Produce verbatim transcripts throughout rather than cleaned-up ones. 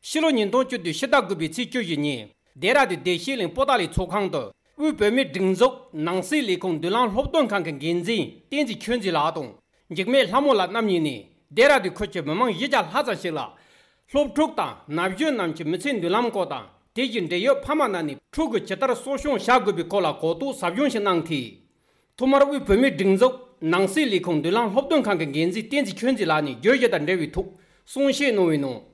ཕྱི་ལོ་ཉིས་སྟོང་བཅུ་བདུན་ཕྱི་ཟླ་དགུ་པའི་ཚེས་བཅུ་བཞི་ཉིན། སྡེ་ར་ལྡུན་བདེ་སྐྱིད་གླིང་པོ་ཏཱ་ལའི་ཚོགས་ཁང་དུ། དབུས་བོད་མིའི་སྒྲིག་འཛུགས་ནང་སྲིད་ལས་ཁུངས་མདུན་ལམ་སློབ་སྟོན་ཁང་གི་འགན་འཛིན་བསྟན་འཛིན་ཆོས་འཛིན་ལགས་དང་། འཇིགས་མེད་ལྷ་མོ་ལགས་རྣམ་གཉིས་ནས། སྡེ་ར་ལྡུན་ཁུལ་གྱི་མི་མང་བཞི་བརྒྱ་ལྷག་ཙམ་ཞིག་ལ། སློབ་ཕྲུག་དང་ན་གཞོན་རྣམས་ཀྱི་མི་ཚེའི་མདུན་ལམ་སྐོར་དང་། དེ་བཞིན་འབྲེལ་ཡོད་ཕ་མ་རྣམས་ནས་ཕྲུ་གུ་ཇི་ལྟར་གསོ་སྐྱོང་བྱ་དགོས་པའི་སྐོར་ལ་གོ་རྟོགས་ཟབ་སྦྱོང་ཞིག་གནང་སྟེ། ཐོག་མར་དབུས་བོད་མིའི་སྒྲིག་འཛུགས་ནང་སྲིད་ལས་ཁུངས་མདུན་ལམ་སློབ་སྟོན་ཁང་གི་འགན་འཛིན་བསྟན་འཛིན་ཆོས་འཛིན་ལགས་ནས་བརྗོད་གཞི་དང་འབྲེལ་བའི་ཐོག་གསུང་བཤད་གནང་བའི་ནང་།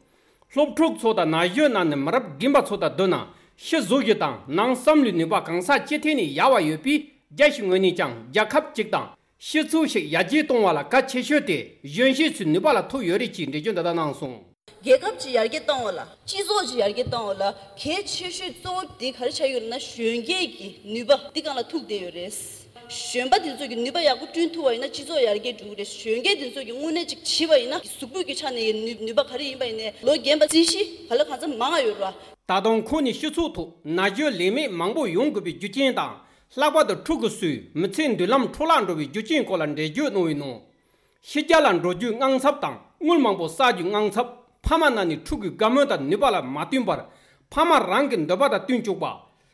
སློབ་ཕྲུག་ཚོ་དང་ན་གཞོན་རྣམས་ནི་མི་རབས་རྒན་པ་ཚོ་དང་བསྡུར་ན་ཤི་གཟུགས་ཀྱི་དང་ནང་བསམ་བློའི་ནུས་པ་གང་ཟག་སྤྱི་ཐད་ནས་ཡག་པ་ཡོད་པས། རྒྱ་ཞིག་ངོས་ནས་ཀྱང་རྒྱལ་ཁབ་ཅིག་དང་སྤྱི་ཚོགས་ཤིག་ཡར་རྒྱས་གཏོང་བ་ལ་གལ་ཆེ་ཤོས་དེ་གཞོན་སྐྱེས་ཚོའི་ནུས་པ་ལ་ཐུག་ཡོད་རེད་ཅེས་འགྲེལ་བརྗོད་འདི་ལྟར་གནང་སོང་། རྒྱལ་ཁབ་ཅིག་ཡར་རྒྱས་གཏོང་བ་ལ། སྤྱི་ཚོགས་ཅིག་ཡར་རྒྱས་གཏོང་བ་ལ་གལ་ཆེ་ཤོས་གཙོ་བོ་དེ་ག་རེ་ཆགས་ཡོད་ལབ་ན། གཞོན་སྐྱེས་ཀྱི་ནུས་པ་འདི་སྒང་ལ་ཐུག་བསྡད་ཡོད་རེད། གཞོན་པ་དེ་ཚོ་གི་ནུས་པ་ཡག་པོ་བསྐྲུན་ཐུབ་པ་ཡིན་ན་སྤྱི་ཚོགས་ཡར་རྒྱས་འགྲོ་གི་རེད། གཞོན་སྐྱེས་དེ་ཚོ་གི་དངོས་གནས་ཅིག་བྱས་པ་ཡིན་ན་གཟུགས་པོ་གི་ཆ་ནས་ནུས་ནུས་པ་ག་རེ་ཡིན་པ་ཡིན་ནའི་ལོ་རྒན་པ་རྩིས་གཞི་ག་ལ་གང་འཚམ་མང་ང་ཡོད་རེད་བ། ད་དུང་ཁོང་ནས་སྤྱི་ཚོགས་ཐོག་ན་གཞོན་ལས་མེད་མང་པོ་ཡོང་དགོས་པའི་རྒྱུ་རྐྱེན་དང་། ལྷག་པར་དུ་ཕྲུ་གུ་ཚོའི་མི་ཚེའི་མདུན་ལམ་འཕྲོ་བརླག་འགྲོ་བའི་རྒྱུ་རྐྱེན་སྐོར་ལ་འགྲེལ་བརྗོད་གནང་བའི་ནང་། ཕྱི་རྒྱལ་ལ་འགྲོ་རྒྱུའི་དངངས་འཚབ་དང་དངུལ་མང་པོ་བསགས་རྒྱུའི་དངངས་འཚབ། ཕ་མ་རྣམས་ནས་ཕྲུ་གུའི་དགའ་མོས་དང་ནུས་པ་ལ་མ་བསྟུན་པར། ཕ་མ་རང་གི་འདོད་པ་དང་བསྟུན་བཅུག་པ།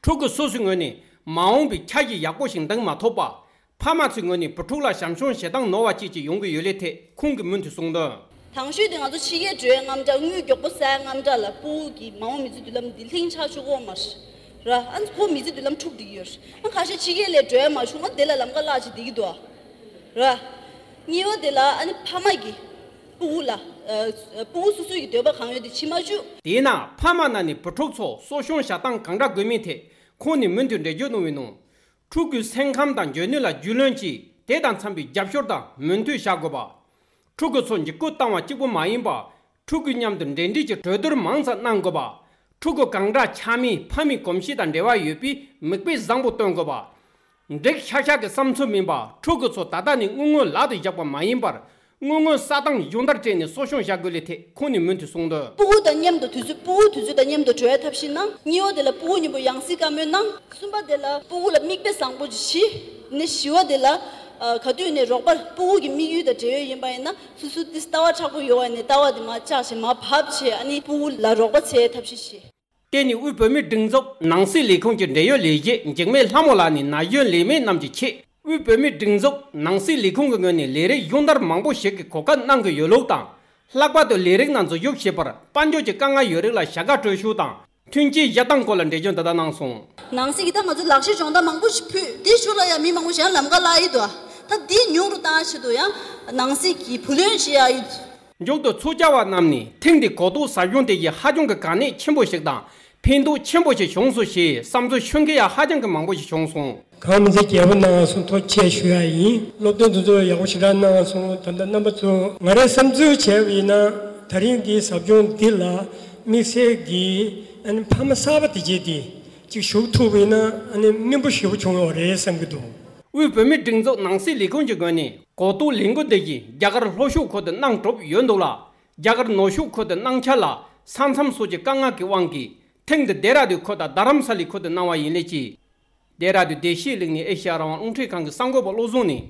ཕྲུ་གུ་སོ་སོའི་ངོས་ནས་མ་འོངས་པའི་འཆར་གཞི་ཡག་པོ་ཞིག་འདིང་མ་ཐུབ་པ། ཕ་མ་ཚོའི་ངོས་ནས་བུ་ཕྲུག་ལ་བྱམས་སྐྱོང་བྱེད་སྟངས་ནོར་བ་བཅས་ཀྱི་ཡོང་གི་ཡོད་ལས་ཐད་ཁོང་གིས་མུ་མཐུད་གསུངས་དོན། དང་ཤོས་དེ་ང་ཚོ་ཕྱི་རྒྱལ་འགྲོའི་དངངས་སྐྲག་དངུལ་མགྱོགས་པོ་བསགས་དངངས་སྐྲག་ལ་སྤུ་གུ་གི་མ་འོངས་མི་ཚེ་མདུན་ལམ་འདི་ལྷིང་ཆགས་ཆོག་གོ་མ་རེད། ཨ་ཁོ་མི་ཚེ་མདུན་ལམ་འཁྲུག་བསྡད་ཀྱི་ཡོད་རེད། ཨ་ཁ་ཤས་ཕྱི་རྒྱལ་ལ་འགྲོ་ཡ་མ་བྱུང་ང་དེ་ལ་ལམ་ཁ་བརླག་བྱས་བསྡད་ཀྱི་འདུག་ཨ། ར། གཉིས་པ་དེ་ལ་ཨ་ནི་ཕ་མ་གིས་སྤུ་གུ་ལ། ཨ། སྤུ་གུ་སོ་སོའི་གི་འདོད་པ་གང་ཡོད་དེ་བྱེད་མ་བཅུག་དེས་ན་ཕ་མ་རྣམས་ནས་བུ་ཕྲུག་ཚོ་གསོ་སྐྱོང་བྱ་སྟངས་གང་འདྲ་དགོས་མིན་ཐད་ཁོང་ནས་མུ་མཐུད་འགྲེལ་བརྗོད་གནང་བའི་ནང་། ཕྲུ་གུའི་སེམས་ཁམས་དང་འཇོན་ནུས་ལ་རྒྱུས་ལོན་གྱིས་དེ་དང་འཚམ་པའི་རྒྱབ་སྐྱོར་དང་མོས་མཐུན་བྱ་དགོས་པ། ཕྲུ་གུ་ཚོ་འཇིགས་སྐུལ་བཏང་བ་གཅིག་པུ་མ་ཡིན་པར། ཕྲུ་གུའི་མཉམ་དུ་འབྲེལ་འདྲིས་ཀྱི་གྲོས་བསྡུར་མང་ཙམ་གནང་དགོས་པ། ཕྲུ་གུ་གང་འདྲ་ཆགས་མིན་ཕ་མའི་གོམས་གཤིས་དང་འབྲེལ་བ་ཡོད་པས་མིག་དཔེ་བཟང་པོ་སྟོན་དགོས་པ། འགྲིག་ཤག་ཤག་གི་བསམ་ཚུལ་མིན་པར་ཕྲུ་གུ་ཚོ་ད་ལྟ་ནས་དངུལ་དངོས་ལག་ཏུ་བཞག་པ་མ་ཡིན་པར། དངུལ་དངོས་ས་སྟེང་སྦྱོང་བརྡར་སྤྲད་ནས་གསོ་སྐྱོང་བྱ་དགོས་ལས་ཐད་ཁོང་ནས་མུ་མཐུད་གསུངས་དོན། སྤུ་གུ་དང་མཉམ་དུ་དུས་ཚོད་སྤུ་གུ་དུས་ཚོད་དང་མཉམ་དུ་འགྲོ་ཡ་ཐབས་ཤེས་གནང་། གཉིས་པ་དེ་ལ་སྤུ་གུ་མཉམ་པོ་ཡང་སྲིད་བཀའ་མོལ་གནང་། གསུམ་པ་དེ་ལ་སྤུ་གུ་ལ་མིག་དཔེ་བཟང་པོ་ཅིག་བྱེད། ནས་བཞི་བ་དེ་ལ། ཨ། ག་དུས་ནས་རོགས་པ་སྤུ་གུ་གི་དམིགས་ཡུལ་དང་འབྲེལ་ཡོད་ཡིན་པ་ཡིན་ན་སོ་སོ་ཏིས་ལྟ་བ་མཁྲེགས་པོ་ཡོད་པ་ནས་ལྟ་བ་དེ་མར་བཅག་བྱས་མར་བབས་བྱས་ཨ་ནི་སྤུ་གུ་ལ་རོགས་པ་བྱེད་ཐབས་ཤེས་བྱེད། དེ་ནི་དབུས་བོད་མིའི་སྒྲིག་འཛུགས་ནང་སྲིད་ལས་ཁུངས་ཀྱི་འབྲེལ་ཡོད་ལས་བྱེད་འཇིགས་མེད་ལྷ་མོ་ལགས་ནས་ན་གཞོན་ལས་མེད་རྣམས་ཀྱི་ཆེད་དབུས་བོད་མིའི་སྒྲིག་འཛུགས་ནང་སྲིད་ལས་ཁུངས་ཀྱི་ངོས་ནས་ལས་རིགས་ཡོང་བསྡར་མང་པོ་ཞིག་གི་གོ་སྐབས་གནང་གི་ཡོད་ལུགས་དང་། ལྷག་པར་དུ་ལས་རིགས་ནང་འཛུལ་ཞུགས་བྱེད་པར་དཔལ་འབྱོར་གྱི་དཀའ་ངལ་ཡོད་རིགས་ལ་བྱ་དགའ་སྤྲོད་ཤུགས་དང་མཐུན་རྐྱེན་བཞག་སྟངས་སྐོར་ལ་འགྲེལ་བརྗོད་འདི་ལྟར་གནང་སོང་། ནང་སྲིད་ཀྱི་ད་ང་ཚོ་ལག་ཤེས་སྦྱོང་བརྡར་མང་པོ་ཞིག་ཕུལ། དེའི་ཤུགས་ལ་ཡང་མི་མང་པོ་ཞིག་ཡང་ལམ་ཁ་བརླག་ཡི་འདུག་ད་འདི་ཉུང་རུ་བཏང་ཆེད་དུ་ཡང་ནང་སྲིད་ཀྱི་བུ་ལོན་བཞེས་ཡ་ཡོད། མཇུག་ཏུ་ཚོགས་བཅར་བ་རྣམས་ནས་ཐེངས་འདིའི་གོ་རྟོགས་ཟབ་སྦྱོང་དེ་བཞིན་ཧ་ཅང་གི་གལ་གནད་ཆེན་པོ་ཞིག་དང་ཕན་ཐོགས་ཆེན་པོ་ཞིག་བྱུང་སོང་ཞེས་བསམ་ཚུལ་ཤོད་མཁན་ཡང་ཧ་ཅང་གི་མང་པོ་ཞིག་བྱུང་སོང་། གང་མི་ཚེ་རྒྱལ་པོ་གནང་སོང་ཐུགས་རྗེ་ཆེ་ཞུ་ཡ་ཡིན། སློབ་སྟོན་དེ་ཚོ་ཡག་པོ་ཞེ་དྲག་གནང་སོང་། ད་ལྟ་རྣམ་པ་ཚོ་ང་རའི་བསམ་ཚུལ་བྱས་པ་ཡིན་ན་ད་རིང་འདིའི་ཟབ་སྦྱོང་འདི་ལ་དམིགས་བསལ་གྱི་ཨ་ནི་ཕ་མ་གསར་པ་དེ་བྱས་ཏེ་ཅིག་ཞུགས་ཐུབ་པ་ཡིན་ན་ཨ་ནི་སྨིན་པོ་ཞེ་པོ་བྱུང་ཡོད་རེད་བསམ་གྱི་འདུག་དབུས་བོད་མིའི་སྒྲིག་འཛུགས་ནང་སྲིད་ལས་ཁུངས་ཀྱི་ངོས་ནས་གོ་རྟོགས་ལས་འགུལ་འདི་བཞིན་རྒྱ་གར་ལྷོ་ཕྱོགས་ཁུལ་དུ་གནང་གྲུབ་ཡོད་འདུག་ལ། རྒྱ་གར་ནུབ་ཕྱོགས་ཁུལ་དུ་གནང་འཆར་ལ་ས་མཚམས་སོགས་ཀྱི་དཀའ་ངལ་གྱི་དབང་གིས་ཐེངས་འདི་ལྡེ་ར་ལྡུན་ཁུལ་དང་རྡ་རམ་ས་ལའི་ཁུལ་དུ་གནང་བ་ཡིན་ལས་ཀྱི། ལྡེ་ར་ལྡུན་བདེ་སྐྱིད་གླིང་ནས་ཨེ་ཤེ་ཡ་རང་དབང་རླུང་འཕྲིན་ཁང་གི་གསར་འགོད་པ་བློ་བཟང་ནས་